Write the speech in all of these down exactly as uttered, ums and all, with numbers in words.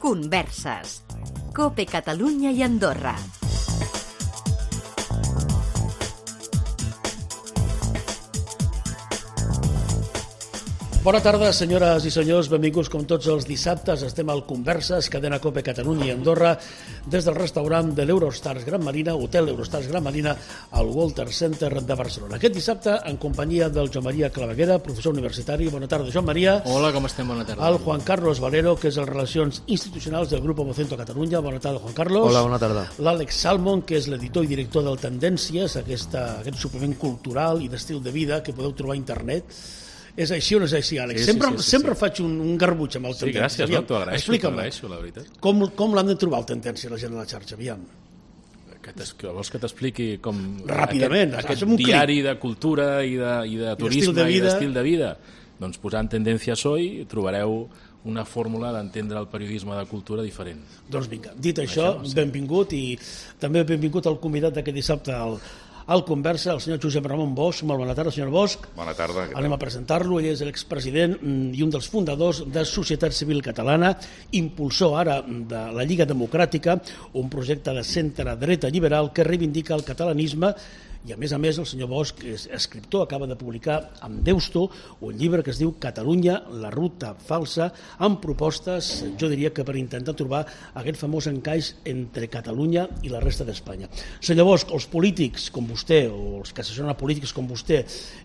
Converses. COPE Catalunya i Andorra. Bona tarda, senyores i senyors, benvinguts com tots els dissabtes. Estem al Converses, cadena COPE Catalunya i Andorra, des del restaurant de l'Eurostars Gran Marina, Hotel Eurostars Gran Marina, al Walter Center de Barcelona. Aquest dissabte, en companyia del Joan Maria Claveguera, professor universitari. Bona tarda, Joan Maria. Hola, com estem? Bona tarda. El Juan Carlos Valero, que és el Relacions Institucionals del Grupo Vocento Catalunya. Bona tarda, Juan Carlos. Hola, bona tarda. L'Àlex Salmon, que és l'editor i director del Tendències, aquesta, aquest suplement cultural i d'estil de vida que podeu trobar a internet. És així o no és així, Àlex? Sí, sempre sí, sí, sí, sempre sí. faig un, un garbuig amb el Sí, Tendències. gràcies, no? T'ho agraeixo, t'ho Explica'm, agraeixo, la veritat. com, com l'han de trobar el Tendències, la gent de la xarxa? Aviam. Que, que vols que t'expliqui com... Ràpidament, Aquest, aquest un diari de cultura i de, i de turisme de i vida. d'estil de vida. Doncs posant Tendències Hoy trobareu una fórmula d'entendre el periodisme de cultura diferent. Doncs vinga, dit això, Això, sí. benvingut, i també benvingut al convidat d'aquest dissabte al, al Conversa, el senyor Josep Ramon Bosch. Molt bona tarda, senyor Bosch. Bona tarda. Anem a presentar-lo. Ell és l'expresident i un dels fundadors de Societat Civil Catalana, impulsor ara de la Lliga Democràtica, un projecte de centre-dreta liberal que reivindica el catalanisme. I a més a més el senyor Bosch és escriptor, acaba de publicar amb Deusto un llibre que es diu Catalunya, la ruta falsa, amb propostes, jo diria que per intentar trobar aquest famós encaix entre Catalunya i la resta d'Espanya. Senyor Bosch, els polítics com vostè, o els que assessoren a polítics com vostè,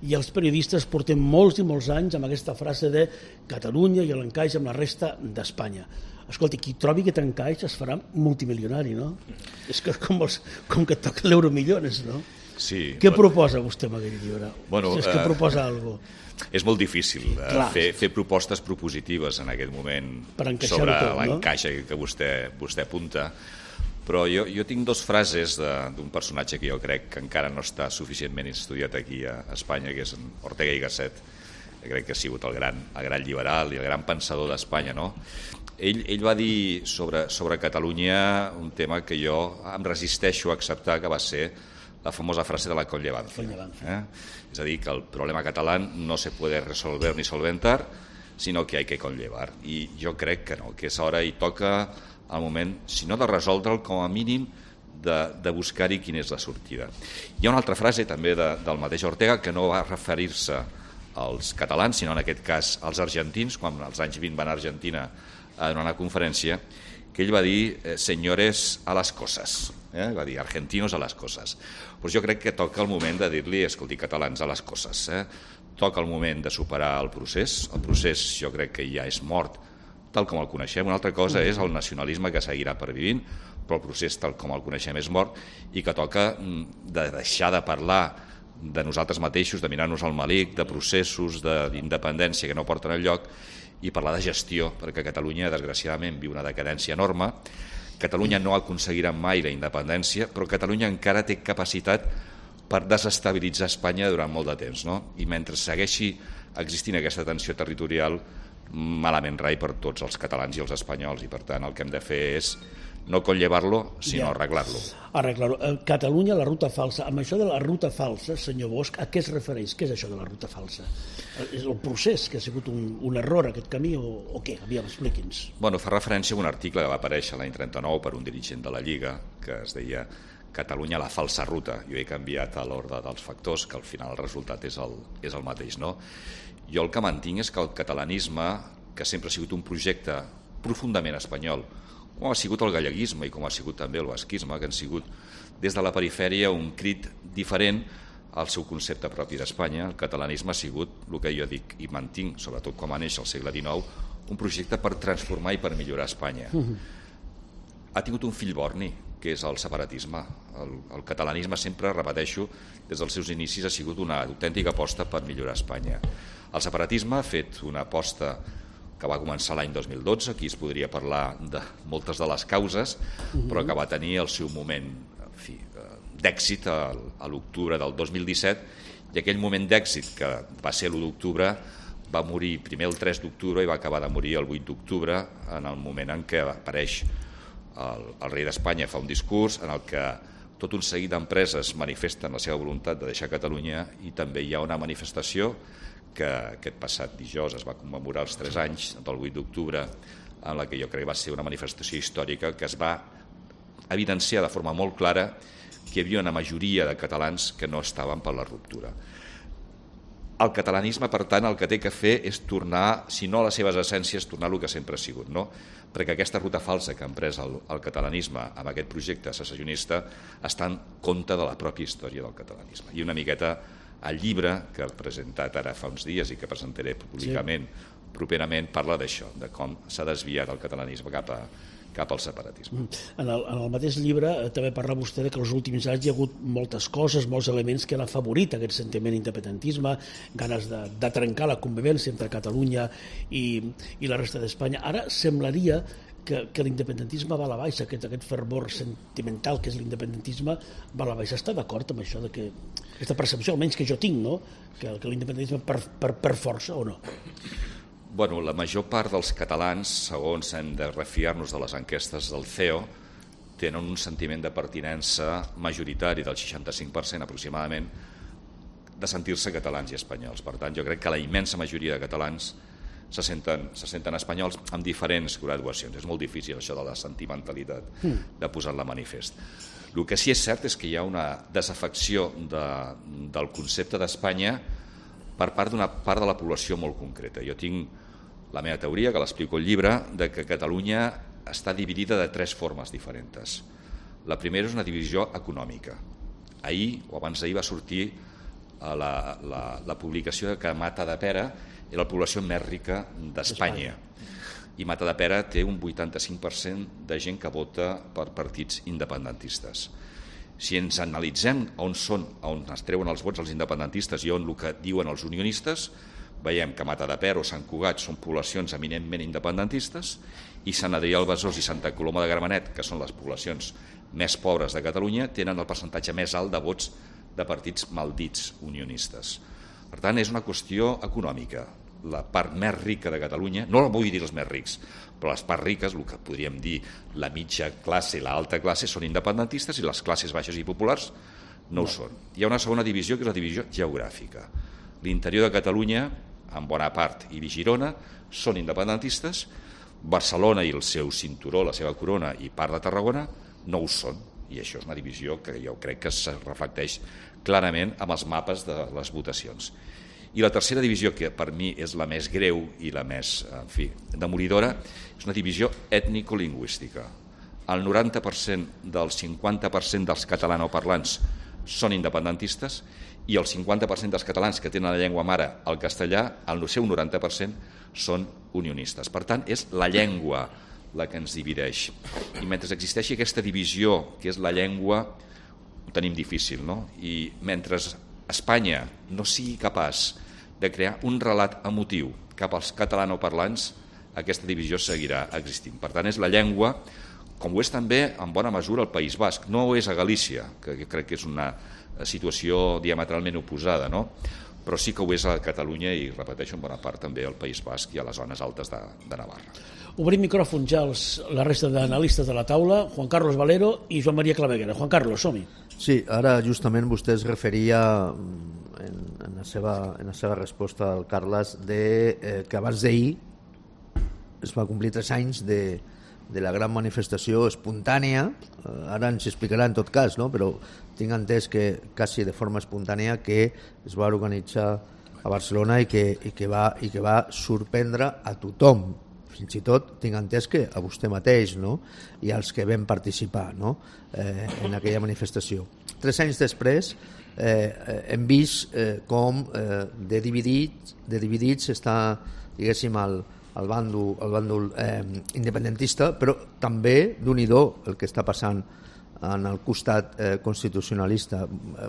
i els periodistes portem molts i molts anys amb aquesta frase de Catalunya i l'encaix amb la resta d'Espanya. Escolti, qui trobi aquest encaix es farà multimilionari, no? És que com, els, com que toca l'Euromillones, no? Sí. Què proposa vostè amb aquest llibre? Bueno, si és que eh, proposa alguna cosa. És molt difícil eh, Clar. fer, fer propostes propositives en aquest moment Per encaixar-ho sobre tot, no? l'encaix que vostè, vostè apunta, però jo, jo tinc dos frases d'un personatge que jo crec que encara no està suficientment estudiat aquí a Espanya, que és en Ortega y Gasset, que crec que ha sigut el gran, el gran liberal i el gran pensador d'Espanya, no? Ell, ell va dir sobre, sobre Catalunya un tema que jo em resisteixo a acceptar, que va ser la famosa frase de la conllevancia. ¿eh? Es a dir, que el problema catalán no se puede resolver ni solventar, sino que hay que conllevar. I jo crec que no, que és hora i toca el moment, si no de resoldre'l, com a mínim de, de buscar-hi quina és la sortida. Hi ha una altra frase també de, del mateix Ortega que no va referir-se als catalans, sinó en aquest cas als argentins, quan als anys vint van a Argentina a donar una conferència, que ell va dir eh, señores a las cosas, eh? va dir argentinos a las cosas. Pues jo crec que toca el moment de dir-li, escolti, catalans a les coses. Eh? Toca el moment de superar el procés. El procés jo crec que ja és mort, tal com el coneixem. Una altra cosa és el nacionalisme que seguirà pervivint, però el procés tal com el coneixem és mort i que toca de deixar de parlar de nosaltres mateixos, de mirar-nos al malic, de processos d'independència que no porten enlloc, i parlar de gestió, perquè Catalunya, desgraciadament, viu una decadència enorme. Catalunya no aconseguirà mai la independència, però Catalunya encara té capacitat per desestabilitzar Espanya durant molt de temps, no? I mentre segueixi existint aquesta tensió territorial, malament rai per tots els catalans i els espanyols, i per tant el que hem de fer és no conllevar-lo, sinó Ja. arreglar-lo. Arreglar-ho. Catalunya, la ruta falsa. Amb això de la ruta falsa, senyor Bosch, a què es refereix? Què és això de la ruta falsa? És el procés que ha sigut un, un error, aquest camí, o, o què? Aviam, expliqui'ns. Bueno, fa referència a un article que va aparèixer l'any trenta-nou per un dirigent de la Lliga, que es deia Catalunya, la falsa ruta. Jo he canviat a l'ordre dels factors, que al final el resultat és el, és el mateix, no? Jo el que mantinc és que el catalanisme, que sempre ha sigut un projecte profundament espanyol, com ha sigut el galleguisme i com ha sigut també el basquisme, que han sigut des de la perifèria un crit diferent al seu concepte propi d'Espanya. El catalanisme ha sigut, el que jo dic i mantinc, sobretot com a neix al segle dinou, un projecte per transformar i per millorar Espanya. Ha tingut un fill borni, que és el separatisme. El, el catalanisme sempre, repeteixo, des dels seus inicis ha sigut una autèntica aposta per millorar Espanya. El separatisme ha fet una aposta que va començar l'any dos mil dotze, aquí es podria parlar de moltes de les causes, però que va tenir el seu moment en fi, d'èxit a, a l'octubre del dos mil disset, i aquell moment d'èxit, que va ser l'u d'octubre, va morir primer el tres d'octubre i va acabar de morir el vuit d'octubre, en el moment en què apareix el, el rei d'Espanya, fa un discurs en el que tot un seguit d'empreses manifesten la seva voluntat de deixar Catalunya, i també hi ha una manifestació que aquest passat dijous es va commemorar els tres anys del vuit d'octubre, en la que jo crec que va ser una manifestació històrica que es va evidenciar de forma molt clara que hi havia una majoria de catalans que no estaven per la ruptura. El catalanisme, per tant, el que té que fer és tornar, si no a les seves essències, tornar a el que sempre ha sigut, no? Perquè aquesta ruta falsa que ha emprès el, el catalanisme amb aquest projecte secessionista està en compte de la pròpia història del catalanisme. I una miqueta el llibre que he presentat ara fa uns dies i que presentaré públicament sí. properament parla d'això, de com s'ha desviat el catalanisme cap a cap al separatisme. En el, en el mateix llibre eh, també parla vostè de que els últims anys hi ha hagut moltes coses, molts elements que han afavorit aquest sentiment d'independentisme, ganes de, de trencar la convivència entre Catalunya i, i la resta d'Espanya. Ara semblaria que, que l'independentisme va a la baixa, aquest, aquest fervor sentimental que és l'independentisme va a la baixa. Està d'acord amb això, de que aquesta percepció, almenys que jo tinc, no? que, que l'independentisme per, per, per força o no? Bueno, la major part dels catalans, segons hem de refiar-nos de les enquestes del C E O, tenen un sentiment de pertinença majoritari del seixanta-cinc per cent aproximadament de sentir-se catalans i espanyols. Per tant, jo crec que la immensa majoria de catalans se senten, se senten espanyols amb diferents graduacions. És molt difícil això de la sentimentalitat, de posar-la manifest. El que sí és cert és que hi ha una desafecció de, del concepte d'Espanya per part d'una part de la població molt concreta. Jo tinc la meva teoria, que l'explico al llibre, de que Catalunya està dividida de tres formes diferents. La primera és una divisió econòmica. Ahir o abans d'ahir va sortir la, la, la publicació que Matadepera era la població més rica d'Espanya. I Matadepera té un vuitanta-cinc per cent de gent que vota per partits independentistes. Si ens analitzem on són, on es treuen els vots els independentistes i on el que diuen els unionistes, veiem que Matadepera o Sant Cugat són poblacions eminentment independentistes i Sant Adrià del Besòs i Santa Coloma de Gramenet, que són les poblacions més pobres de Catalunya, tenen el percentatge més alt de vots de partits maldits unionistes. Per tant, és una qüestió econòmica. La part més rica de Catalunya, no vull dir els més rics, però les parts riques, el que podríem dir la mitja classe i l'alta classe, són independentistes i les classes baixes i populars no ho són. Hi ha una segona divisió, que és la divisió geogràfica. L'interior de Catalunya, en bona part, i Girona, són independentistes. Barcelona i el seu cinturó, la seva corona, i part de Tarragona, no ho són. I això és una divisió que jo crec que es reflecteix clarament amb els mapes de les votacions. I la tercera divisió, que per mi és la més greu i la més, en fi, demolidora, és una divisió ètnico-lingüística. El noranta per cent del cinquanta per cent dels catalanoparlants són independentistes i el cinquanta per cent dels catalans que tenen la llengua mare, el castellà, el seu noranta per cent són unionistes. Per tant, és la llengua la que ens divideix. I mentre existeixi aquesta divisió, que és la llengua, ho tenim difícil, no? I mentre Espanya no sigui capaç de crear un relat emotiu cap als catalanoparlants, aquesta divisió seguirà existint. Per tant, és la llengua, com ho és també en bona mesura el País Basc. No ho és a Galícia, que crec que és una situació diametralment oposada, no? Però sí que ho és a Catalunya i, repeteixo, en bona part també al País Basc i a les zones altes de, de Navarra. Obrim micròfon ja als, la resta d'analistes de la taula, Juan Carlos Valero i Joan Maria Claveguera. Juan Carlos, som-hi. Sí, ara justament vostè es referia en, en, la, seva, en la seva resposta al Carles de, eh, que abans d'ahir es va complir tres anys de, de la gran manifestació espontània. Eh, ara ens explicarà en tot cas, no? Però tinc entès que quasi de forma espontània que es va organitzar a Barcelona i que, i que, va, i que va sorprendre a tothom. Fins i tot tinc entès que a vostè mateix, no? I als que vam participar, no? eh, en aquella manifestació. Tres anys després eh, hem vist eh, com eh, de dividits, de dividits està, diguéssim, el, el bàndol, el bàndol eh, independentista, però també d'un-i-do el que està passant en el costat eh, constitucionalista.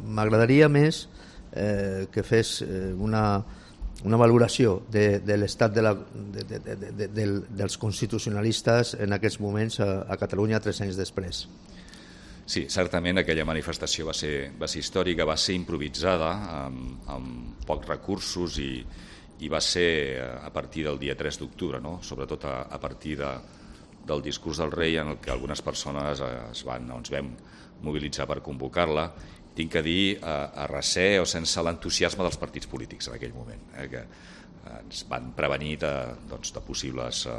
M'agradaria més eh, que fes eh, una una valoració de, de l'estat de la, de, de, de, de, de, dels constitucionalistes en aquests moments a, a Catalunya tres anys després. Sí, certament aquella manifestació va ser, va ser històrica, va ser improvisada, amb, amb pocs recursos i, i va ser a partir del dia tres d'octubre, no? Sobretot a, a partir de, del discurs del rei en el que algunes persones es van, ens vam mobilitzar per convocar-la tinc que dir, a, a recer o sense l'entusiasme dels partits polítics en aquell moment, eh, que ens van prevenir de, doncs, de possibles eh,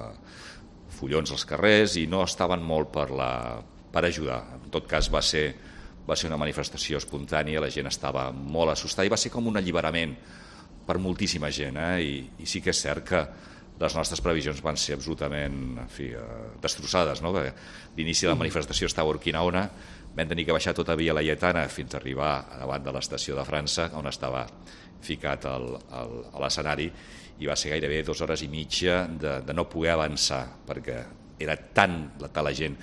follons als carrers i no estaven molt per, la, per ajudar. En tot cas va ser, va ser una manifestació espontània, la gent estava molt assustada i va ser com un alliberament per moltíssima gent, eh? I, i sí que és cert que les nostres previsions van ser absolutament en fi, eh, destrossades, no? L'inici de la manifestació estava a Urquinaona, vam tenir que baixar tota Via Laietana fins a arribar davant de l'estació de França, on estava ficat el, el, a l'escenari, i va ser gairebé dues hores i mitja de, de no poder avançar, perquè era tan la, la gent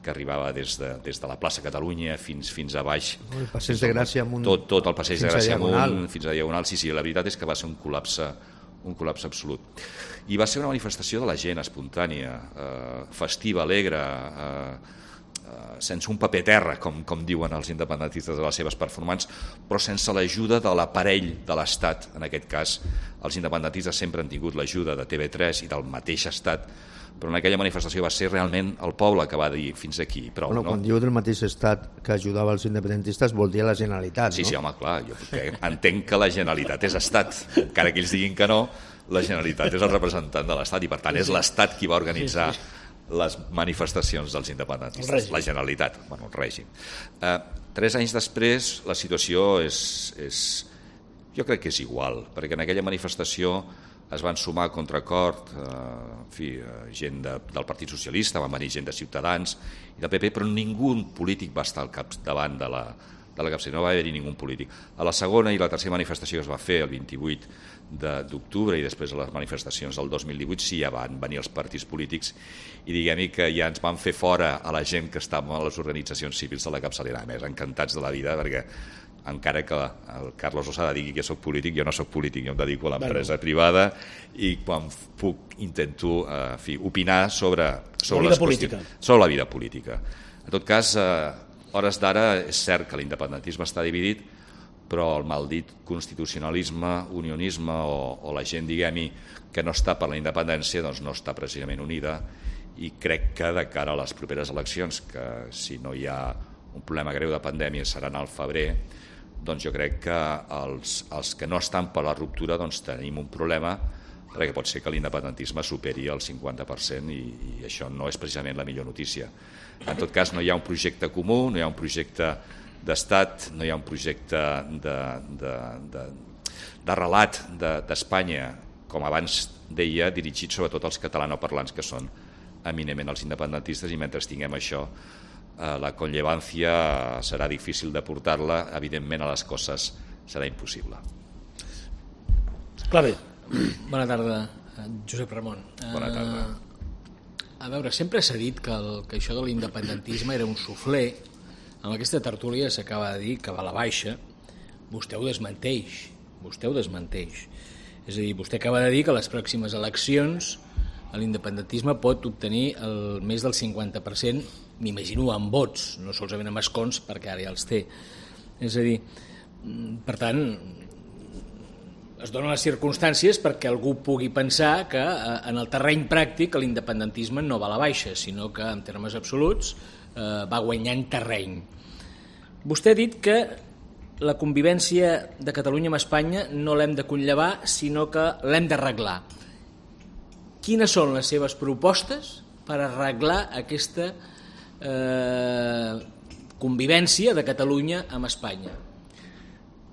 que arribava des de, des de la plaça Catalunya fins, fins a baix. El passeig de Gràcia amunt. Tot, tot el passeig de Gràcia amunt, fins a Diagonal. Sí, sí, la veritat és que va ser un col·lapse, un col·lapse absolut. I va ser una manifestació de la gent espontània, eh, festiva, alegre, eh, sense un paper terra, com, com diuen els independentistes de les seves performances, però sense l'ajuda de l'aparell de l'Estat. En aquest cas, els independentistes sempre han tingut l'ajuda de T V tres i del mateix Estat, però en aquella manifestació va ser realment el poble que va dir fins aquí. Prou, bueno, no? Quan diu del mateix Estat que ajudava els independentistes vol dir la Generalitat, sí, no? Sí, home, clar, jo entenc que la Generalitat és Estat, encara que ells diguin que no, la Generalitat és el representant de l'Estat i per tant és l'Estat qui va organitzar sí, sí. les manifestacions dels independentistes, la Generalitat, bueno, el règim. Eh, tres anys després la situació és, és, jo crec que és igual, perquè en aquella manifestació es van sumar a contracord eh, en fi, gent de, del Partit Socialista, van venir gent de Ciutadans i del P P, però ningú polític va estar al capdavant de la, de la capçalera, no va haver-hi ningú polític. A la segona i la tercera manifestació que es va fer el vint-i-vuit d'octubre i després a les manifestacions del dos mil divuit sí ja van venir els partits polítics i diguem-hi que ja ens van fer fora a la gent que estava a les organitzacions civils de la capçalera. A més, encantats de la vida perquè encara que el Carlos Losada digui que soc polític, jo no soc polític, jo em dedico a l'empresa bueno. privada i quan puc intento eh, fi, opinar sobre, sobre, les qüestions, sobre la vida política. En tot cas, eh, hores d'ara és cert que l'independentisme està dividit, però el maldit constitucionalisme, unionisme o, o la gent, diguem-hi, que no està per la independència, doncs no està precisament unida i crec que de cara a les properes eleccions, que si no hi ha un problema greu de pandèmia seran al febrer, doncs jo crec que els, els que no estan per la ruptura doncs tenim un problema perquè pot ser que l'independentisme superi el cinquanta per cent i, i això no és precisament la millor notícia. En tot cas, no hi ha un projecte comú, no hi ha un projecte d'estat, no hi ha un projecte de, de, de, de relat d'Espanya, de, com abans deia, dirigit sobretot als catalanoparlants que són eminentment els independentistes i mentre tinguem això eh, la conllevància serà difícil de portar-la, evidentment a les coses serà impossible. Clar bé. Bona tarda, Josep Ramon. Bona tarda. Uh, a veure, sempre s'ha dit que, el, que això de l'independentisme era un suflé. Amb aquesta tertúlia s'acaba de dir que va a la baixa. Vostè ho desmenteix. Vostè ho desmenteix. És a dir, vostè acaba de dir que a les pròximes eleccions l'independentisme pot obtenir el més del cinquanta per cent, m'imagino, en vots, no solament en escons, perquè ara ja els té. És a dir, per tant, es donen les circumstàncies perquè algú pugui pensar que en el terreny pràctic l'independentisme no va a la baixa, sinó que en termes absoluts eh, va guanyant terreny. Vostè ha dit que la convivència de Catalunya amb Espanya no l'hem de conllevar, sinó que l'hem d'arreglar. Quines són les seves propostes per arreglar aquesta eh, convivència de Catalunya amb Espanya?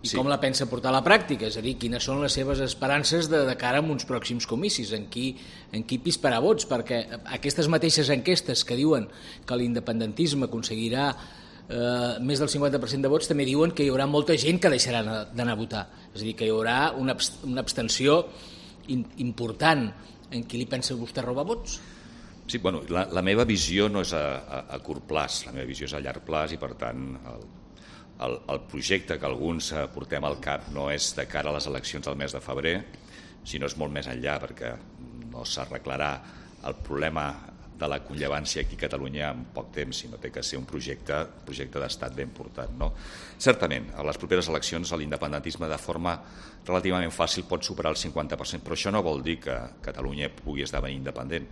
I sí. Com la pensa portar a la pràctica? És a dir, quines són les seves esperances de, de cara a uns pròxims comicis? En qui, en qui pisparà vots? Perquè aquestes mateixes enquestes que diuen que l'independentisme aconseguirà eh, més del cinquanta per cent de vots també diuen que hi haurà molta gent que deixarà d'anar a votar. És a dir, que hi haurà una, una abstenció in, important. En qui li pensa vostè robar vots? Sí, bueno, la, la meva visió no és a, a, a curt plaç, la meva visió és a llarg plaç i per tant el, el, el projecte que alguns portem al cap no és de cara a les eleccions del mes de febrer, sinó és molt més enllà perquè no s'arreglarà el problema de la conllevància aquí a Catalunya en poc temps, sinó té que ser un projecte, projecte d'estat ben portat. No? Certament, a les properes eleccions l'independentisme de forma relativament fàcil pot superar el cinquanta per cent, però això no vol dir que Catalunya pugui esdevenir independent.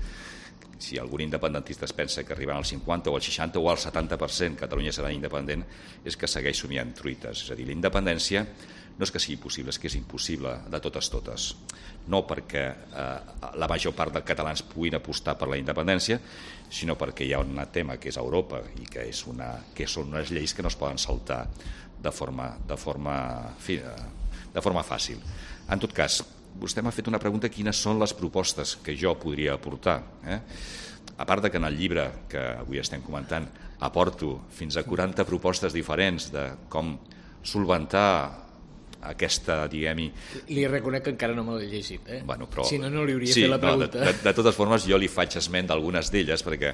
si algun independentista es pensa que arribaran al cinquanta o al seixanta o al setanta per cent Catalunya serà independent, és que segueix somiant truites. És a dir, la independència no és que sigui possible, és que és impossible de totes totes. No perquè eh, la major part dels catalans puguin apostar per la independència, sinó perquè hi ha un tema que és Europa i que, és una, que són unes lleis que no es poden saltar de forma, de forma, en fi, de forma fàcil. En tot cas, vostè m'ha fet una pregunta: quines són les propostes que jo podria aportar? Eh? A part de que en el llibre que avui estem comentant aporto fins a quaranta propostes diferents de com solventar aquesta, diguem-hi... Li reconec que encara no me l'he llegit, eh? Bueno, però... Si no, no li hauria sí, fet la pregunta. No, de, de, de totes formes, jo li faig esment d'algunes d'elles, perquè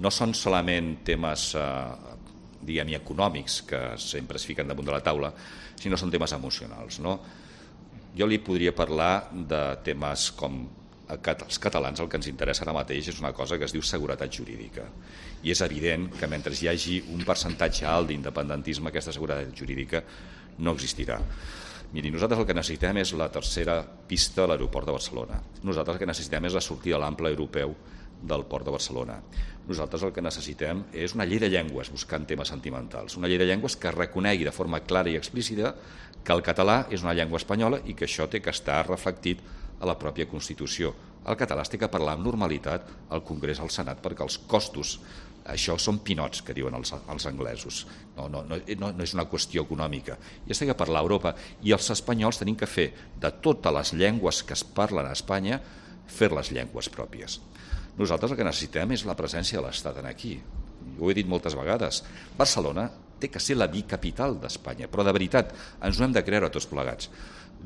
no són solament temes, eh, diguem-hi, econòmics, que sempre es fiquen damunt de la taula, sinó són temes emocionals, no? Jo li podria parlar de temes com els catalans. El que ens interessa ara mateix és una cosa que es diu seguretat jurídica, i és evident que mentre hi hagi un percentatge alt d'independentisme, aquesta seguretat jurídica no existirà. Miri, nosaltres el que necessitem és la tercera pista a l'aeroport de Barcelona. Nosaltres el que necessitem és la sortida a l'ample europeu del port de Barcelona. Nosaltres el que necessitem és una llei de llengües, buscant temes sentimentals, una llei de llengües que reconegui de forma clara i explícita que el català és una llengua espanyola i que això té que estar reflectit a la pròpia Constitució. El català es té que parlar amb normalitat al Congrés, al Senat, perquè els costos, això són pinots, que diuen els, els anglesos, no, no, no, no és una qüestió econòmica, i es té que parlar a Europa, i els espanyols tenim que fer de totes les llengües que es parlen a Espanya, fer-les llengües pròpies. Nosaltres el que necessitem és la presència de l'Estat aquí. Ho he dit moltes vegades. Barcelona té que ser la bicapital d'Espanya, però de veritat ens ho hem de creure tots plegats.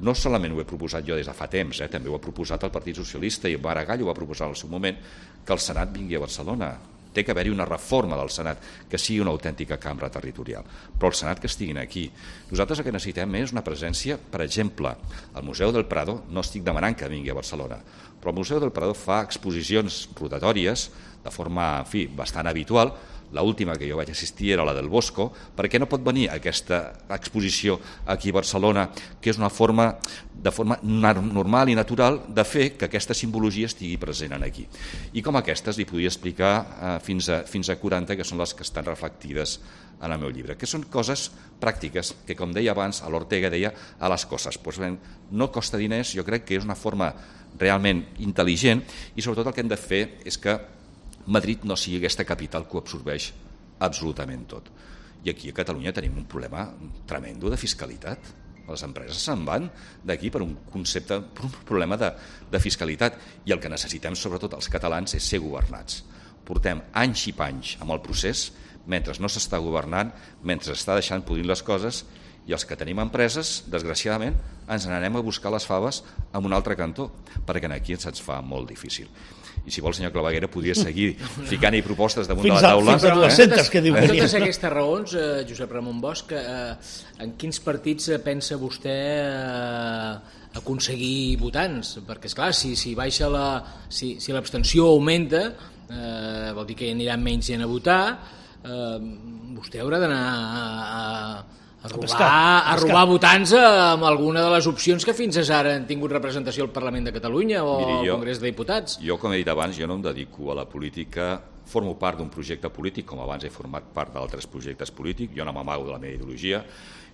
No solament ho he proposat jo des de fa temps, eh? També ho ha proposat el Partit Socialista, i Maragall ho va proposar al seu moment, que el Senat vingui a Barcelona. Té que haver-hi una reforma del Senat que sigui una autèntica cambra territorial, però el Senat que estiguin aquí. Nosaltres el que necessitem és una presència, per exemple, al Museu del Prado. No estic demanant que vingui a Barcelona, però el Museu del Prado fa exposicions rotatòries de forma, en fi, bastant habitual. L'última que jo vaig assistir era la del Bosco. Per què no pot venir aquesta exposició aquí a Barcelona, que és una forma, de forma normal i natural de fer que aquesta simbologia estigui present aquí? I com aquestes li podria explicar eh, fins, a, fins a quaranta, que són les que estan reflectides en el meu llibre, que són coses pràctiques, que com deia abans, a l'Ortega deia a les coses. Pues, bé, no costa diners, jo crec que és una forma realment intel·ligent, i sobretot el que hem de fer és que Madrid no sigui aquesta capital que ho absorbeix absolutament tot. I aquí a Catalunya tenim un problema tremendo de fiscalitat. Les empreses se'n van d'aquí per un concepte, per un problema de, de fiscalitat, i el que necessitem sobretot els catalans és ser governats. Portem anys i panys amb el procés, mentre no s'està governant, mentre s'està deixant podrir les coses, i els que tenim empreses, desgraciadament, ens n'anem a buscar les faves en un altre cantó, perquè aquí se'ns fa molt difícil. I si vol, senyor Claveguera, podria seguir ficant-hi propostes damunt fins de la taula. Fins a dues-centes, que diu. Per totes aquestes raons, eh, Josep Ramon Bosch, eh, en quins partits pensa vostè eh, aconseguir votants? Perquè, esclar, si, si baixa la, si, si l'abstenció augmenta, eh, vol dir que hi aniran menys gent a votar, eh, vostè haurà d'anar a, a a robar, pescar, a robar votants amb alguna de les opcions que fins ara han tingut representació al Parlament de Catalunya o Miri, jo, al Congrés de Diputats. Jo, com he dit abans, jo no em dedico a la política, formo part d'un projecte polític, com abans he format part d'altres projectes polítics, jo no m'amago de la meva ideologia,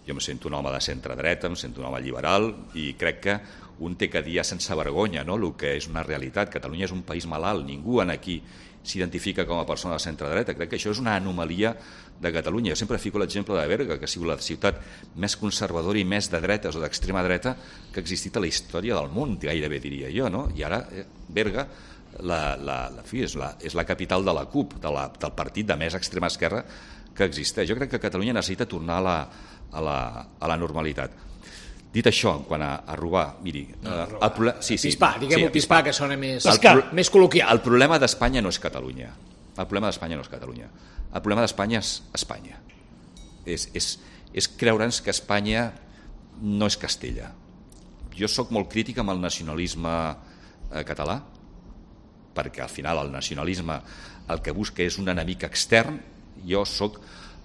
jo em sento un home de centre-dreta, em sento un home liberal, i crec que un té que dir sense vergonya, no?, el que és una realitat. Catalunya és un país malalt, ningú aquí s'identifica com a persona de centre-dreta. Crec que això és una anomalia de Catalunya. Jo sempre fico l'exemple de Berga, que ha sigut la ciutat més conservadora i més de dretes o d'extrema dreta que ha existit a la història del món, gairebé diria jo, no? I ara eh, Berga la, la, la, fi, és, la, és la capital de la CUP, de la, del partit de més extrema esquerra que existeix. Jo crec que Catalunya necessita tornar a la, a la, a la normalitat. Dit això, en quant a, a robar, miri... No, eh, el problema, sí, sí, pispar, diguem-ho sí, pispar, pispar, que sona més, el, més col·loquial. El problema d'Espanya no és Catalunya. El problema d'Espanya no és Catalunya. El problema d'Espanya és Espanya. És, és, és creure'ns que Espanya no és Castella. Jo sóc molt crític amb el nacionalisme eh, català, perquè al final el nacionalisme el que busca és un enemic extern. Jo sóc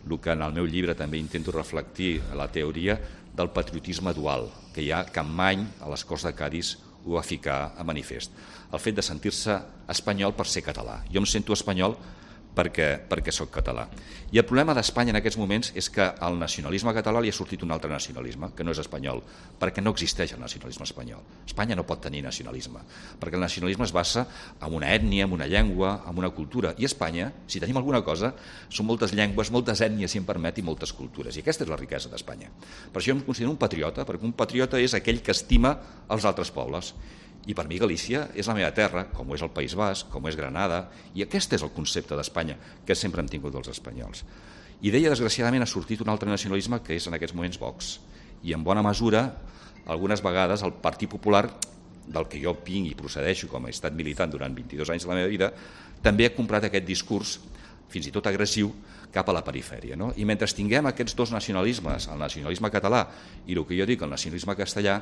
el que en el meu llibre també intento reflectir la teoria del patriotisme dual, que hi ha Campmany a les Corts de Cadis ho va ficar a manifest. El fet de sentir-se espanyol per ser català. Jo em sento espanyol perquè, perquè sóc català. I el problema d'Espanya en aquests moments és que al nacionalisme català li ha sortit un altre nacionalisme, que no és espanyol, perquè no existeix el nacionalisme espanyol. Espanya no pot tenir nacionalisme, perquè el nacionalisme es basa en una ètnia, en una llengua, en una cultura. I Espanya, si tenim alguna cosa, són moltes llengües, moltes ètnies, si em permet, i moltes cultures. I aquesta és la riquesa d'Espanya. Per això jo em considero un patriota, perquè un patriota és aquell que estima els altres pobles. I per mi Galícia és la meva terra, com ho és el País Basc, com ho és Granada, i aquest és el concepte d'Espanya que sempre hem tingut els espanyols. I d'ella, desgraciadament, ha sortit un altre nacionalisme que és en aquests moments Vox. I en bona mesura, algunes vegades, el Partit Popular, del que jo vinc i procedeixo com he estat militant durant vint-i-dos anys de la meva vida, també ha comprat aquest discurs, fins i tot agressiu, cap a la perifèria. No? I mentre tinguem aquests dos nacionalismes, el nacionalisme català i el que jo dic, el nacionalisme castellà,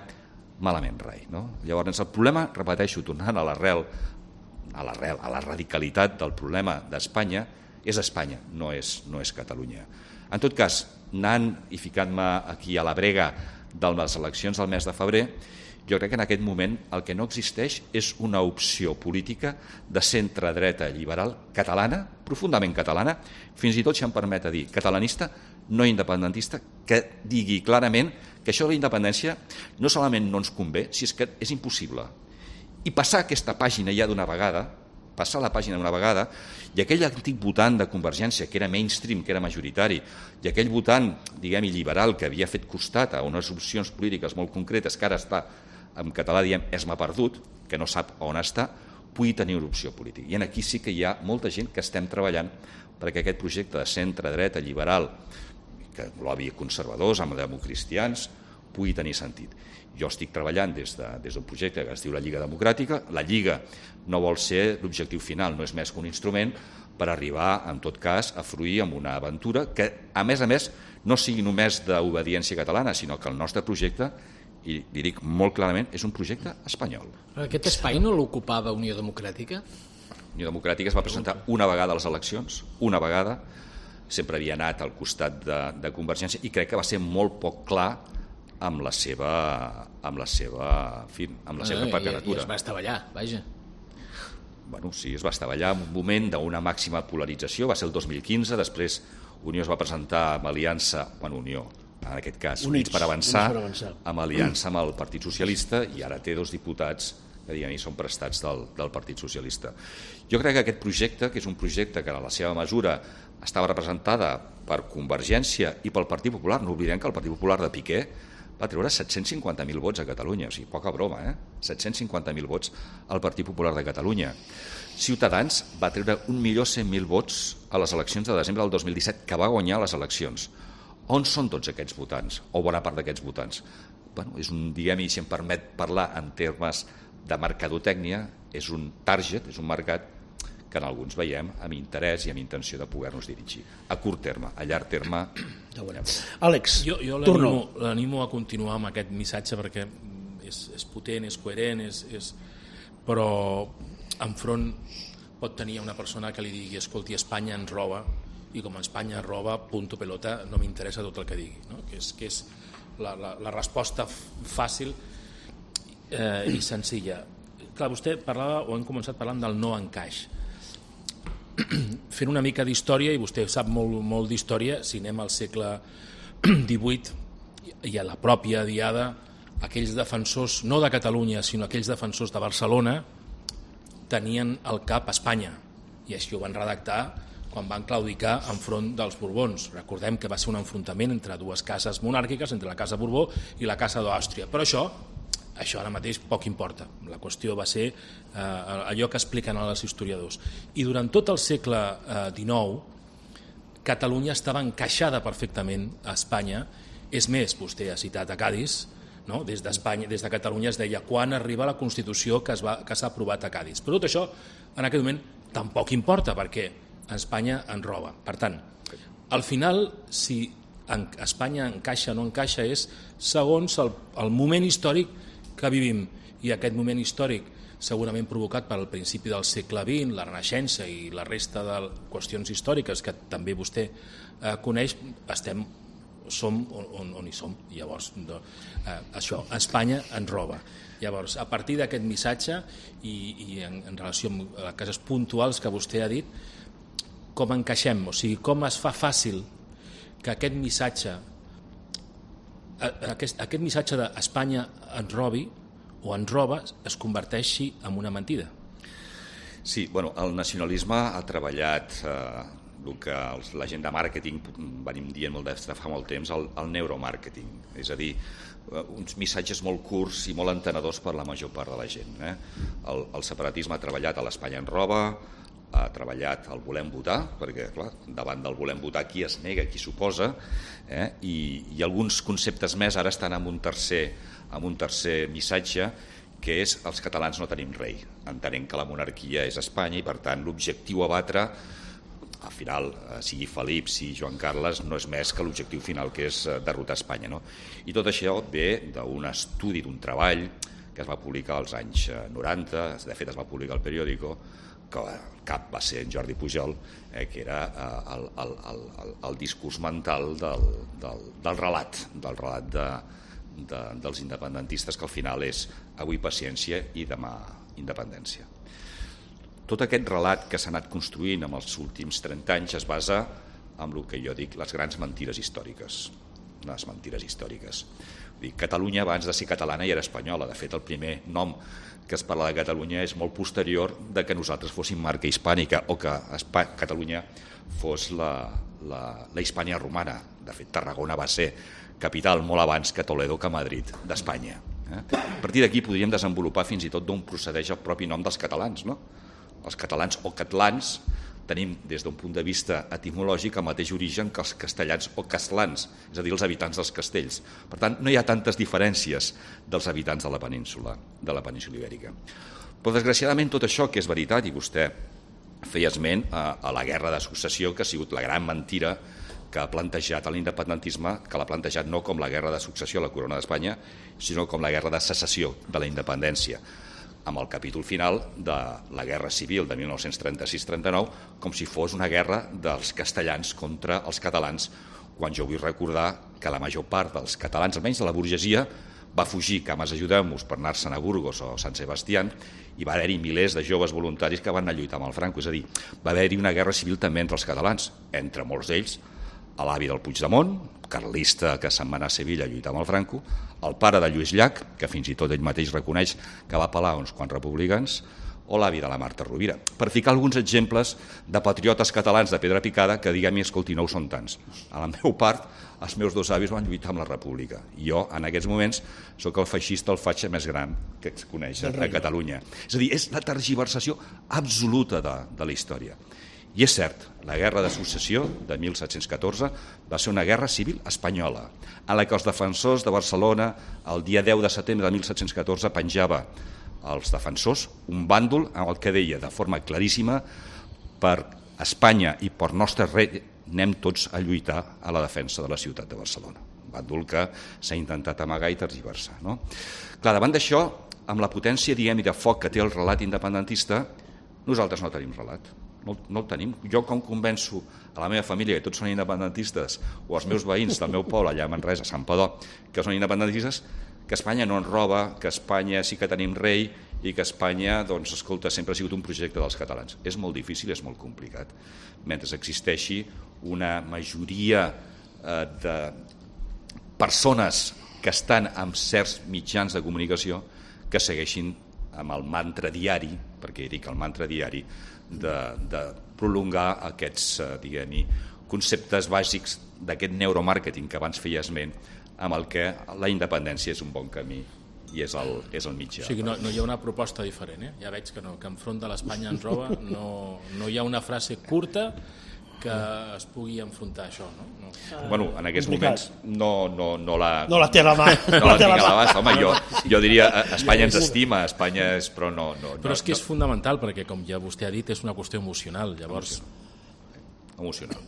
malament rai. No? Llavors, el problema, repeteixo, tornant a l'arrel, a l'arrel, a la radicalitat del problema d'Espanya, és Espanya, no és, no és Catalunya. En tot cas, anant i ficant-me aquí a la brega de les eleccions del mes de febrer, jo crec que en aquest moment el que no existeix és una opció política de centre-dreta liberal catalana, profundament catalana, fins i tot, si em permet dir, catalanista, no independentista, que digui clarament que això de la independència no solament no ens convé, si és que és impossible. I passar aquesta pàgina ja d'una vegada, passar la pàgina d'una vegada, i aquell antic votant de Convergència, que era mainstream, que era majoritari, i aquell votant, diguem, liberal, que havia fet costat a unes opcions polítiques molt concretes, que ara està, en català diem, es m'ha perdut, que no sap on està, pugui tenir una opció política. I aquí sí que hi ha molta gent que estem treballant perquè aquest projecte de centre-dreta liberal, que lobby conservadors, amb democristians, pugui tenir sentit. Jo estic treballant des, de, des d'un projecte que es diu la Lliga Democràtica. La Lliga no vol ser l'objectiu final, no és més que un instrument per arribar, en tot cas, a fruir amb una aventura que, a més a més, no sigui només d'obediència catalana, sinó que el nostre projecte, i li dic molt clarament, és un projecte espanyol. Aquest espai no l'ocupava Unió Democràtica? Unió Democràtica es va presentar una vegada a les eleccions, una vegada, sempre havia anat al costat de, de Convergència, i crec que va ser molt poc clar amb la seva, amb la seva, en fi, amb la seva candidatura. I es va estavellar, vaja. Bueno, sí, es va estavellar en un moment d'una màxima polarització, va ser el dos mil quinze, després Unió es va presentar amb aliança, bueno, Unió, en aquest cas, Units, Units per avançar, per avançar, amb aliança amb el Partit Socialista, i ara té dos diputats que diguem, són prestats del, del Partit Socialista. Jo crec que aquest projecte, que és un projecte que a la seva mesura estava representada per Convergència i pel Partit Popular, no oblidem que el Partit Popular de Piqué va treure set-cents cinquanta mil vots a Catalunya, o sigui, poca broma, eh? set-cents cinquanta mil vots al Partit Popular de Catalunya. Ciutadans va treure un milió cent mil vots a les eleccions de desembre del dos mil disset, que va guanyar les eleccions. On són tots aquests votants, o bona part d'aquests votants? Bueno, és un, diguem, i si em permet parlar en termes de mercadotècnia, és un target, és un mercat que en alguns veiem amb interès i amb intenció de poder-nos dirigir. A curt terme, a llarg terme, ja ho veurem. Àlex, jo, jo torno. L'animo a continuar amb aquest missatge perquè és, és potent, és coherent, és, és... però enfront pot tenir una persona que li digui escolti, Espanya ens roba, i com Espanya ens roba, punto pelota, no m'interessa tot el que digui. No? Que és, que és la, la, la resposta fàcil eh, i senzilla. Clar, vostè parlava, o hem començat parlant del no encaix. Fent una mica d'història, i vostè sap molt, molt d'història, si anem al segle divuit i a la pròpia diada, aquells defensors, no de Catalunya, sinó aquells defensors de Barcelona, tenien al cap Espanya, i així ho van redactar quan van claudicar enfront dels Borbons. Recordem que va ser un enfrontament entre dues cases monàrquiques, entre la Casa Borbó i la Casa d'Àustria. Però això, això ara mateix poc importa. La qüestió va ser eh, allò que expliquen els historiadors. I durant tot el segle eh, dinou, Catalunya estava encaixada perfectament a Espanya. És més, vostè ha citat a Cadis, no? Des d'Espanya, des de Catalunya es deia quan arriba la Constitució que es va, que s'ha aprovat a Cadis. Però tot això, en aquest moment, tampoc importa, perquè Espanya en roba. Per tant, al final, si Espanya encaixa o no encaixa és segons el, el moment històric que vivim, i aquest moment històric segurament provocat pel principi del segle vint, la Renaixença i la resta de qüestions històriques que també vostè eh, coneix, estem som on, on hi som. Llavors, no, eh, això, Espanya ens roba. Llavors, a partir d'aquest missatge i, i en, en relació amb les cases puntuals que vostè ha dit, com encaixem? O sigui, com es fa fàcil que aquest missatge aquest, aquest missatge d'Espanya ens robi o ens roba es converteixi en una mentida? Sí, bueno, el nacionalisme ha treballat eh, el que els, la gent de màrqueting venim dient molt de fa molt temps, el, el neuromàrqueting, és a dir, uns missatges molt curts i molt entenedors per la major part de la gent. Eh? El, el separatisme ha treballat a l'Espanya en roba, ha treballat el volem votar, perquè clar, davant del volem votar qui es nega, qui s'oposa, eh? I, i alguns conceptes més ara estan en un tercer, en un tercer missatge, que és els catalans no tenim rei. Entenem que la monarquia és Espanya i per tant l'objectiu a batre al final, sigui Felip, sigui Joan Carles, no és més que l'objectiu final, que és derrotar Espanya. No? I tot això ve d'un estudi, d'un treball que es va publicar als anys noranta, de fet es va publicar al periòdico, que el cap va ser en Jordi Pujol, eh, que era eh, el, el, el, el discurs mental del, del, del relat, del relat de, de, dels independentistes, que al final és avui paciència i demà independència. Tot aquest relat que s'ha anat construint en els últims trenta anys es basa en el que jo dic les grans mentides històriques. Les mentides històriques. Vull dir, Catalunya abans de ser catalana ja era espanyola. De fet, el primer nom que es parla de Catalunya és molt posterior de que nosaltres fóssim marca hispànica o que Espanya, Catalunya fos la, la, la Hispània romana. De fet, Tarragona va ser capital molt abans que Toledo, que Madrid, d'Espanya. Eh? A partir d'aquí podríem desenvolupar fins i tot d'on procedeix el propi nom dels catalans, no? Els catalans o catalans tenim des d'un punt de vista etimològic el mateix origen que els castellans o castlans, és a dir, els habitants dels castells. Per tant, no hi ha tantes diferències dels habitants de la península, de la península ibèrica. Però, desgraciadament, tot això que és veritat, i vostè feia esment a, a la guerra de successió, que ha sigut la gran mentira que ha plantejat l'independentisme, que l'ha plantejat no com la guerra de successió a la corona d'Espanya, sinó com la guerra de secessió de la independència, amb el capítol final de la Guerra Civil de mil nou-cents trenta-sis trenta-nou, com si fos una guerra dels castellans contra els catalans, quan jo vull recordar que la major part dels catalans, almenys de la burgesia, va fugir, cames ajudem-nos, per anar-se'n a Burgos o Sant Sebastián, i va haver-hi milers de joves voluntaris que van anar a lluitar amb el Franco. És a dir, va haver-hi una guerra civil també entre els catalans, entre molts d'ells, l'avi del Puigdemont, carlista que se'n va anar a Sevilla a lluitar amb el Franco, el pare de Lluís Llach, que fins i tot ell mateix reconeix que va pelar uns quants republicans, o l'avi de la Marta Rovira. Per ficar alguns exemples de patriotes catalans de pedra picada que diguem-hi, escolti, no ho són tants. A la meva part, els meus dos avis van lluitar amb la República. I jo, en aquests moments, sóc el feixista, el fatxa més gran que es coneix a Catalunya. És a dir, és la tergiversació absoluta de, de la història. I és cert, la guerra de successió de mil set-cents catorze va ser una guerra civil espanyola, en la que els defensors de Barcelona, el dia deu de setembre de mil set-cents catorze, penjava als defensors un bàndol en el que deia de forma claríssima: per Espanya i per nostre rei anem tots a lluitar a la defensa de la ciutat de Barcelona. Un bàndol que s'ha intentat amagar i tergiversar. No? Clar, davant d'això, amb la potència, diguem-hi, de foc que té el relat independentista, nosaltres no tenim relat. No, no el tenim. Jo com convenço a la meva família que tots són independentistes, o als meus veïns del meu poble allà a Manresa, a Santpedor, que són independentistes, que Espanya no ens roba, que Espanya sí que tenim rei i que Espanya, doncs, escolta, sempre ha sigut un projecte dels catalans. És molt difícil, és molt complicat. Mentre existeixi una majoria eh, de persones que estan amb certs mitjans de comunicació que segueixin amb el mantra diari, perquè dic el mantra diari, de, de prolongar aquests, eh, diguem-hi, conceptes bàsics d'aquest neuromàrqueting que abans feia esment, amb el que la independència és un bon camí i és el, és el mitjà. O sigui, no, no hi ha una proposta diferent, eh? Ja veig que no, que enfront de l'Espanya ens roba no, no hi ha una frase curta que es pugui enfrontar a això, no? no. Bueno, en aquests Complicat. moments no, no, no la... No la té a la mà. No la tinc a l'abast, home, jo, jo diria Espanya ens estima, Espanya és... Però no... no Però és que és no. fundamental, perquè com ja vostè ha dit, és una qüestió emocional, llavors... Emocional.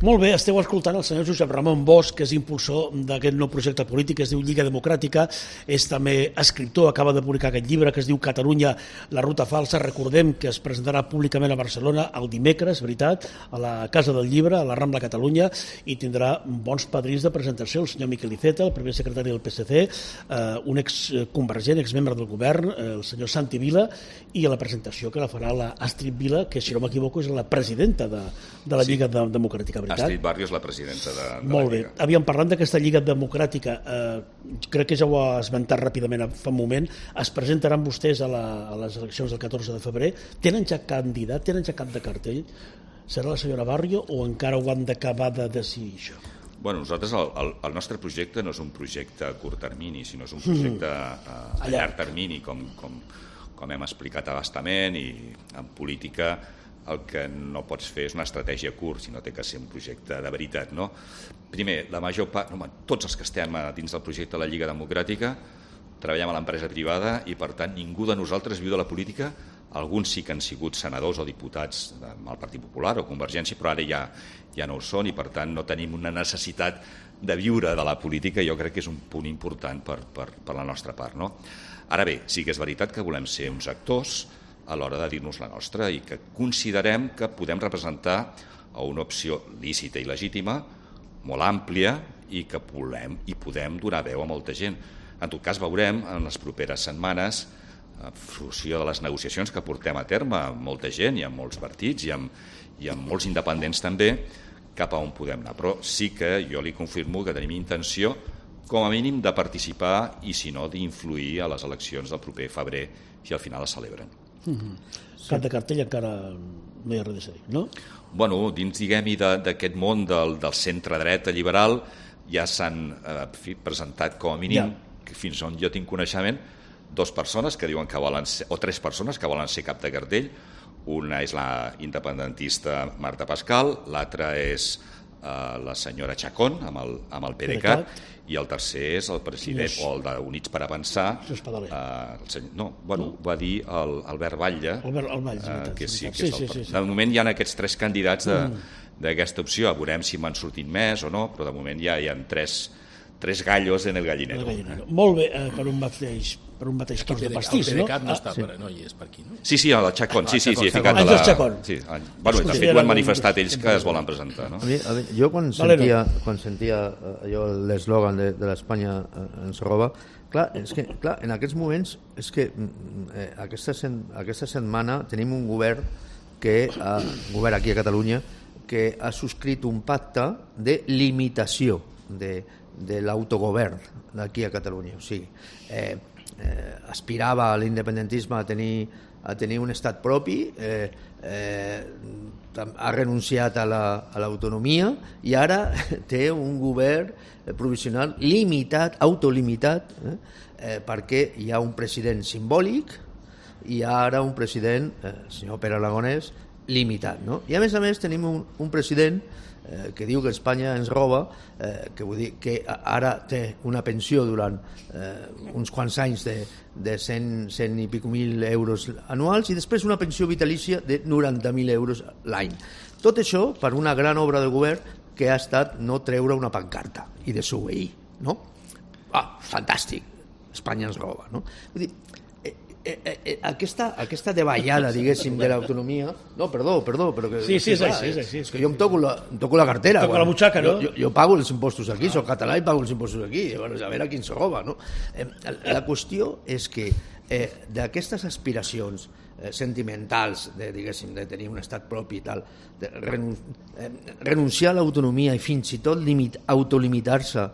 Molt bé, esteu escoltant el senyor Josep Ramon Bosch, que és impulsor d'aquest nou projecte polític que es diu Lliga Democràtica, és també escriptor, acaba de publicar aquest llibre que es diu Catalunya, la ruta falsa. Recordem que es presentarà públicament a Barcelona el dimecres, veritat, a la Casa del Llibre, a la Rambla Catalunya, i tindrà bons padrins de presentació, el senyor Miquel Iceta, el primer secretari del P S C, eh, un exconvergent, exmembre del govern, eh, el senyor Santi Vila, i a la presentació que la farà la Astrid Vila, que si no m'equivoco és la presidenta de, de la sí. Lliga Democràtica, veritat? Astrid Barrio és la presidenta de, de Molt la Lliga. bé. Havíem parlat d'aquesta Lliga Democràtica. Eh, crec que ja ho ha esmentat ràpidament fa un moment. Es presentaran vostès a, la, a les eleccions del catorze de febrer. Tenen ja candidat? Tenen ja cap de cartell? Serà la senyora Barrio o encara ho han d'acabar de decidir això? Bueno, nosaltres, el, el, el nostre projecte no és un projecte a curt termini, sinó és un projecte a, a llarg termini, com, com, com hem explicat abastament, i en política el que no pots fer és una estratègia a curt, sinó té que ser un projecte de veritat, no? Primer, la major part, no, tots els que estem dins del projecte de la Lliga Democràtica treballem a l'empresa privada i, per tant, ningú de nosaltres viu de la política. Alguns sí que han sigut senadors o diputats del Partit Popular o Convergència, però ara ja, ja no ho són i, per tant, no tenim una necessitat de viure de la política. Jo crec que és un punt important per, per, per la nostra part, no? Ara bé, sí que és veritat que volem ser uns actors a l'hora de dir-nos la nostra i que considerem que podem representar una opció lícita i legítima, molt àmplia, i que volem i podem donar veu a molta gent. En tot cas, veurem en les properes setmanes, en funció de les negociacions que portem a terme amb molta gent i amb molts partits i amb, i amb molts independents també, cap a on podem anar. Però sí que jo li confirmo que tenim intenció, com a mínim, de participar i, si no, d'influir a les eleccions del proper febrer, si al final es celebren. Mm-hmm. Cap de cartell encara no hi ha res a dir, no? Bueno, dins, diguem-hi, d'aquest món del, del centre-dreta liberal ja s'han eh, presentat com a mínim, ja. que fins on jo tinc coneixement, dues persones que diuen que volen ser, o tres persones que volen ser cap de cartell. Una és la independentista Marta Pascal, l'altra és eh, la senyora Chacón amb el, amb el PDeCAT, i el tercer és el president, o el d'Units per Avançar, eh, el senyor, no, bueno, no. va dir el Albert Batlle, Albert, el Batlle eh, que sí, que sí, és el, sí, sí, sí. de moment hi ha aquests tres candidats d'aquesta mm. opció, veurem si m'han sortit més o no, però de moment ja hi ha tres, tres gallos en el gallinero. El gallinero. Eh? Molt bé, eh, per un mateix, per un mateix cos de pastís, no? El PDeCAT no, ah, està, sí. per, no hi és per aquí, no? Sí, sí, el Chacón, sí, sí, sí, he ficat a la... Sí, bueno, de fet ho han manifestat ells que es volen presentar, no? A mi, a mi, jo quan sentia, quan sentia allò, l'eslògan de, de l'Espanya ens roba, clar, és que, clar, en aquests moments és que eh, aquesta, sen, aquesta setmana tenim un govern que ha, un govern aquí a Catalunya que ha subscrit un pacte de limitació de, de l'autogovern d'aquí a Catalunya. O sigui, eh, eh, aspirava a l'independentisme a tenir, a tenir un estat propi, eh, eh, ha renunciat a l'autonomia la, i ara té un govern provisional limitat, autolimitat, eh, eh, perquè hi ha un president simbòlic i hi ha ara un president, eh, el senyor Pere Aragonès, limitat. No? I a més a més tenim un, un president eh, que diu que Espanya ens roba, eh, que vull dir que ara té una pensió durant eh, uns quants anys de, de cent, cent i pico mil euros anuals i després una pensió vitalícia de noranta mil euros l'any. Tot això per una gran obra de govern que ha estat no treure una pancarta i desobeir, no? Ah, fantàstic, Espanya ens roba, no? Vull dir, Eh, eh, eh, aquesta, aquesta davallada, diguéssim, de l'autonomia... No, perdó, perdó, però que... Sí, sí, és així, és així. És que jo em toco la, em toco la cartera. Toco la butxaca, no? Jo, jo, jo pago els impostos aquí, soc català i pago els impostos aquí, llavors a veure qui ens roba, no? Eh, la qüestió és que eh, d'aquestes aspiracions eh, sentimentals, de, diguéssim, de tenir un estat propi i tal, de renun eh, renunciar a l'autonomia i fins i tot limit, autolimitar-se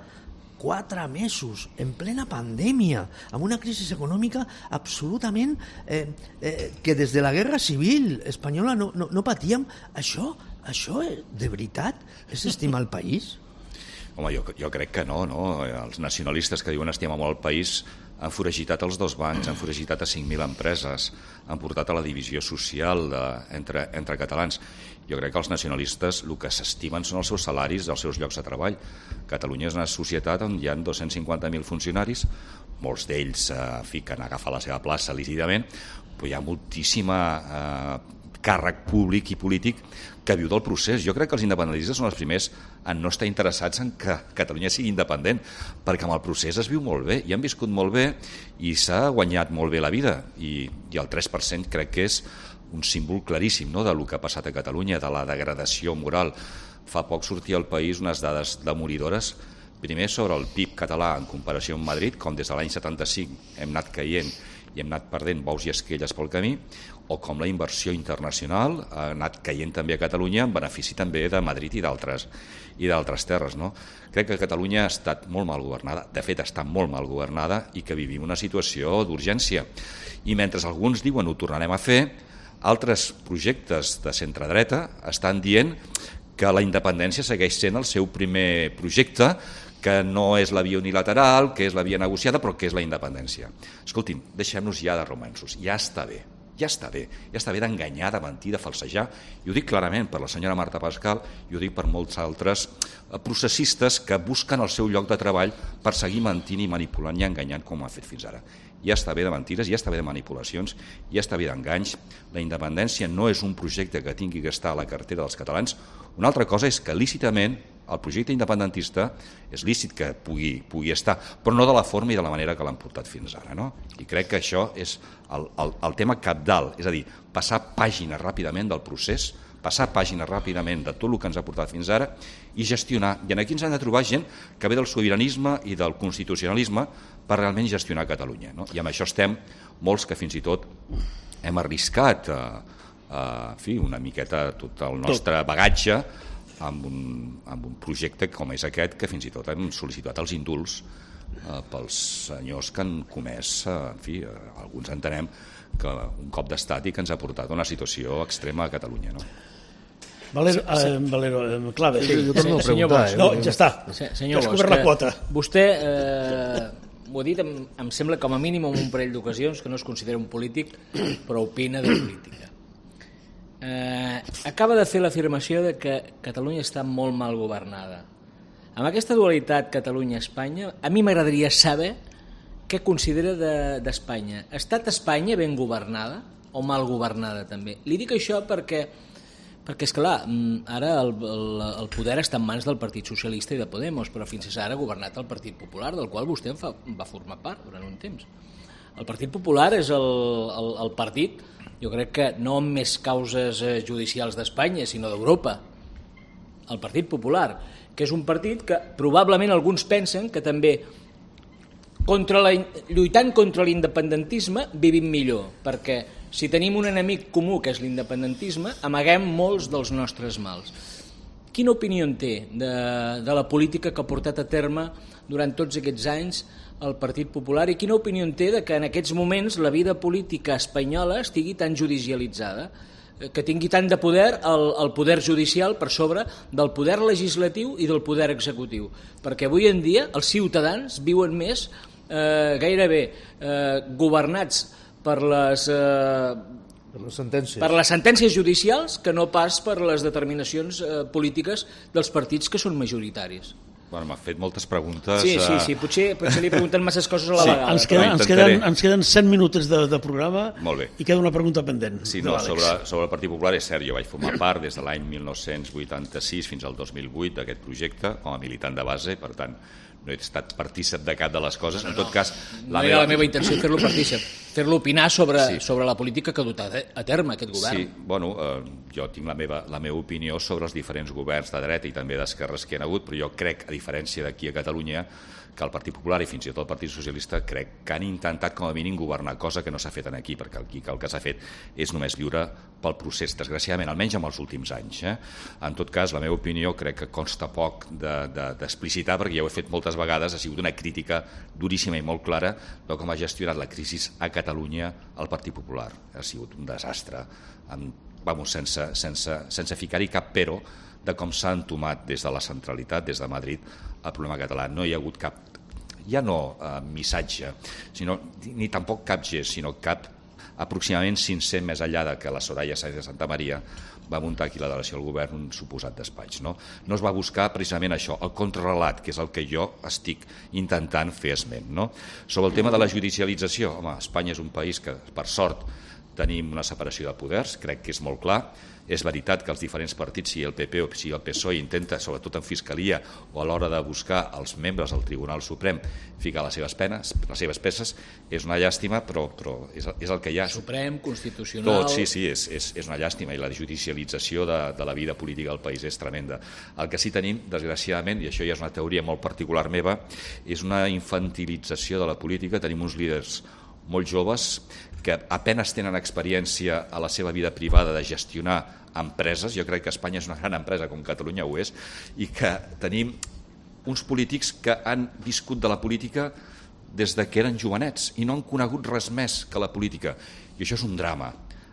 quatre mesos, en plena pandèmia, amb una crisi econòmica absolutament eh, eh, que des de la guerra civil espanyola no, no, no patíem. Això, això de veritat és estimar el país? Home, jo, jo crec que no, no. Els nacionalistes que diuen estimar molt el país han foragitat els dos bancs, han foragitat a cinc mil empreses, han portat a la divisió social de, entre, entre catalans. Jo crec que els nacionalistes el que s'estimen són els seus salaris, els seus llocs de treball. Catalunya és una societat on hi ha dos-cents cinquanta mil funcionaris, molts d'ells eh, fiquen a agafar la seva plaça lícitament, però hi ha moltíssima eh, càrrec públic i polític que viu del procés. Jo crec que els independentistes són els primers en no estar interessats en que Catalunya sigui independent, perquè amb el procés es viu molt bé, i han viscut molt bé i s'ha guanyat molt bé la vida, i, i el tres per cent crec que és un símbol claríssim, no?, del que ha passat a Catalunya, de la degradació moral. Fa poc sortia al País unes dades demoridores, primer sobre el P I B català en comparació amb Madrid, com des de l'any setanta-cinc hem anat caient i hem anat perdent bous i esquelles pel camí, o com la inversió internacional ha anat caient també a Catalunya en benefici també de Madrid i d'altres i d'altres terres, no? Crec que Catalunya ha estat molt mal governada, de fet està molt mal governada, i que vivim una situació d'urgència. I mentre alguns diuen ho tornarem a fer, altres projectes de centre-dreta estan dient que la independència segueix sent el seu primer projecte, que no és la via unilateral, que és la via negociada, però que és la independència. Escoltin, deixem-nos ja de romanços, ja està bé, ja està bé, ja està bé d'enganyar, de mentir, de falsejar, i ho dic clarament per la senyora Marta Pascal, i ho dic per molts altres processistes que busquen el seu lloc de treball per seguir mentint i manipulant i enganyant com ho ha fet fins ara. Ja està bé de mentires, ja està bé de manipulacions, ja està bé d'enganys. La independència no és un projecte que tingui que estar a la cartera dels catalans. Una altra cosa és que lícitament el projecte independentista és lícit que pugui, pugui estar, però no de la forma i de la manera que l'han portat fins ara, no? I crec que això és el, el, el tema cabdal, és a dir, passar pàgina ràpidament del procés, passar pàgina ràpidament de tot el que ens ha portat fins ara i gestionar. I aquí ens han de trobar gent que ve del sobiranisme i del constitucionalisme per realment gestionar Catalunya, no? I amb això estem molts que fins i tot hem arriscat a, a, en fi, una miqueta tot el nostre bagatge amb un, amb un projecte com és aquest, que fins i tot hem sol·licitat els indults eh, pels senyors que han comès, eh, en fi, eh, alguns entenem que un cop d'estat i que ens ha portat a una situació extrema a Catalunya, no? Valero, eh, Valero eh, Clave. Sí, jo torno a preguntar. Eh? No, ja està. Senyor has cobert la quota. Vostè, eh, ho ha dit, em, em sembla com a mínim en un parell d'ocasions, que no es considera un polític, però opina de política. Eh, acaba de fer l'afirmació de que Catalunya està molt mal governada. Amb aquesta dualitat Catalunya-Espanya, a mi m'agradaria saber què considera d'Espanya. De, ha estat Espanya ben governada o mal governada també? Li dic això perquè, perquè esclar, ara el, el, el poder està en mans del Partit Socialista i de Podemos, però fins ara ha governat el Partit Popular, del qual vostè en fa, va formar part durant un temps. El Partit Popular és el, el, el partit, jo crec que no amb més causes judicials d'Espanya, sinó d'Europa. El Partit Popular, que és un partit que probablement alguns pensen que també contra la, lluitant contra l'independentisme vivim millor, perquè si tenim un enemic comú que és l'independentisme, amaguem molts dels nostres mals. Quina opinió en té de, de la política que ha portat a terme durant tots aquests anys el Partit Popular, i quina opinió en té de que en aquests moments la vida política espanyola estigui tan judicialitzada, que tingui tant de poder el, el poder judicial per sobre del poder legislatiu i del poder executiu? Perquè avui en dia els ciutadans viuen més eh, gairebé eh, governats per les, eh, per les sentències. per les sentències judicials que no pas per les determinacions eh, polítiques dels partits que són majoritaris. Bueno, m'ha fet moltes preguntes. Sí, sí, sí. Potser, potser li pregunten masses coses a la Sí, vegada. Ens queden, però ens queden, ens queden cent minuts de, de programa. Molt bé. I queda una pregunta pendent. Sí, de no, l'Àlex. sobre, sobre el Partit Popular és cert, jo vaig formar part des de l'any mil nou-cents vuitanta-sis fins al dos mil vuit d'aquest projecte com a militant de base, per tant no he estat partícip de cap de les coses. En tot cas, La no meva... era la meva intenció fer-lo partícip, fer-lo opinar sobre, Sí. sobre la política que ha dut a a terme aquest govern. Sí, bueno, eh, jo tinc la meva, la meva opinió sobre els diferents governs de dreta i també d'esquerres que hi ha hagut, però jo crec, a diferència d'aquí a Catalunya, que el Partit Popular i fins i tot el Partit Socialista crec que han intentat com a mínim governar, cosa que no s'ha fet aquí, perquè aquí el que s'ha fet és només viure pel procés, desgraciadament, almenys en els últims anys. Eh? En tot cas, la meva opinió crec que consta poc d'explicitar, de, de, perquè ja ho he fet moltes vegades, ha sigut una crítica duríssima i molt clara de com ha gestionat la crisi a Catalunya el Partit Popular. Ha sigut un desastre, amb, vamos, sense, sense, sense ficar-hi cap però de com s'ha entomat des de la centralitat, des de Madrid, el problema català. No hi ha hagut cap, ja no eh, missatge, sinó, ni tampoc cap gest, sinó cap aproximadament cinc-cents més enllà de que la Soraya Sáenz de Santa Maria va muntar aquí la delegació del govern un suposat despatx. No? no es va buscar precisament això, el contrarrelat, que és el que jo estic intentant fer esment. No? Sobre el tema de la judicialització, home, Espanya és un país que, per sort, tenim una separació de poders, crec que és molt clar. És veritat que els diferents partits, sigui el P P o sigui el P S O E, intenta, sobretot en Fiscalia o a l'hora de buscar els membres del Tribunal Suprem, ficar les seves penes, les seves peces. És una llàstima, però, però és, és el que hi ha. Suprem, Constitucional... Tot, sí, sí, és, és, és una llàstima, i la judicialització de, de la vida política del país és tremenda. El que sí tenim, desgraciadament, i això ja és una teoria molt particular meva, és una infantilització de la política. Tenim uns líders molt joves que apenas tenen experiència a la seva vida privada de gestionar empreses. Jo crec que Espanya és una gran empresa, com Catalunya ho és, i que tenim uns polítics que han viscut de la política des de que eren jovenets i no han conegut res més que la política. I això és un drama.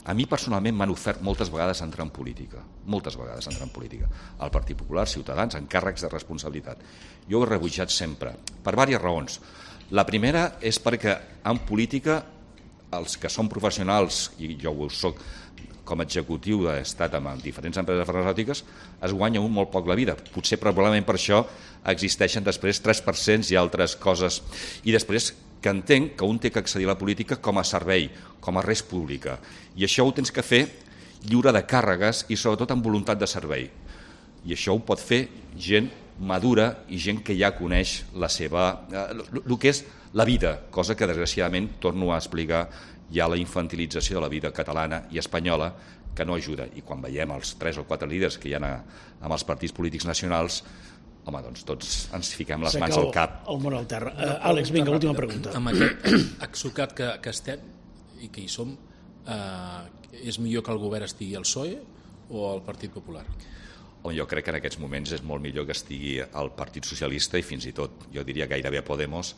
A mi personalment m'han ofert moltes vegades entrar en política, moltes vegades entrar en política. El Partit Popular, Ciutadans, en càrrecs de responsabilitat. Jo ho he rebutjat sempre, per diverses raons. La primera és perquè en política els que són professionals, i jo ho soc com a executiu, he estat amb diferents empreses farmacèutiques, es guanya un molt poc la vida. Potser probablement per això existeixen després tres per cent i altres coses. I després que entenc que un té que accedir a la política com a servei, com a res pública. I això ho tens que fer lliure de càrregues i sobretot amb voluntat de servei. I això ho pot fer gent madura i gent que ja coneix la seva, eh, el que és la vida, cosa que desgraciadament, torno a explicar, hi ha la infantilització de la vida catalana i espanyola que no ajuda. I quan veiem els tres o quatre líders que hi ha amb els partits polítics nacionals, home, doncs tots ens fiquem les mans al cap. El món al terra. Uh, Àlex, vinga, última pregunta. Amb aquest exocat que, que estem i que hi som, eh, és millor que el govern estigui al P S O E o al Partit Popular? On jo crec que en aquests moments és molt millor que estigui el Partit Socialista i fins i tot, jo diria gairebé Podemos,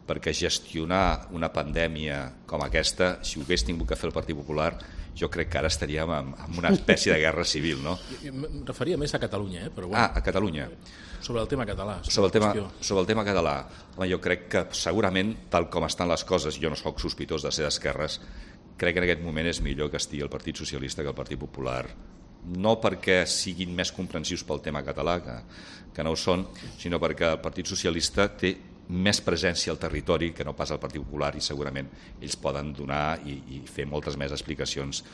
perquè gestionar una pandèmia com aquesta, si ho hagués tingut que fer el Partit Popular, jo crec que ara estaríem en, en una espècie de guerra civil, no? Em referia més a Catalunya, eh? Però bueno, ah, a Catalunya. Sobre el tema català. Sobre el tema, sobre el tema català. Home, jo crec que segurament, tal com estan les coses, jo no sóc sospitós de ser d'esquerres, crec que en aquest moment és millor que estigui el Partit Socialista que el Partit Popular. No perquè siguin més comprensius pel tema català, que, que no ho són, sinó perquè el Partit Socialista té més presència al territori que no pas al Partit Popular i segurament ells poden donar i, i fer moltes més explicacions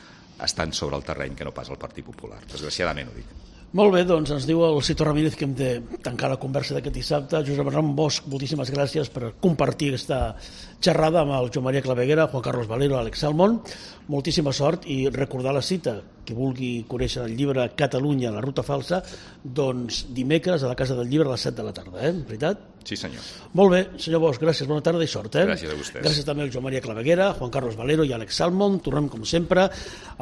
estant sobre el terreny que no pas al Partit Popular. Desgraciadament ho dic. Molt bé, doncs ens diu el Cito Ramírez que hem de tancar la conversa d'aquest dissabte. Josep Ramon Bosch, moltíssimes gràcies per compartir aquesta xerrada amb el Joan Maria Claveguera, Juan Carlos Valero, Àlex Salmond. Moltíssima sort i recordar la cita, que vulgui conèixer el llibre Catalunya, la ruta falsa, doncs dimecres a la Casa del Llibre a les set de la tarda, eh? Veritat? Sí, senyor. Molt bé, senyor Bosch, gràcies, bona tarda i sort. Eh? Gràcies a vostès. Gràcies també al Joan Maria Claveguera, Juan Carlos Valero i Àlex Salmond. Tornem, com sempre,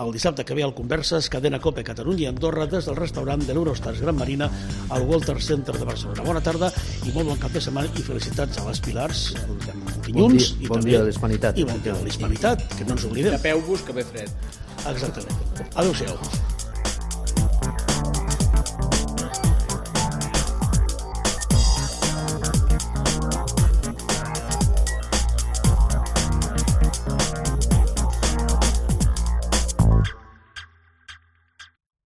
el dissabte que ve al Converses, Cadena Cope, Catalunya i Andorra, des del restaurant de l'Eurostars Gran Marina al Walter Center de Barcelona. Bona tarda i molt bon cap de setmana i felicitats a les Pilars, el dilluns. Bon dia, i bon també, dia de l'Hispanitat. I bon dia de l'Hispanitat, que no ens oblidem. Tapeu-vos, que ve fred. Exactament. Adéu-siau.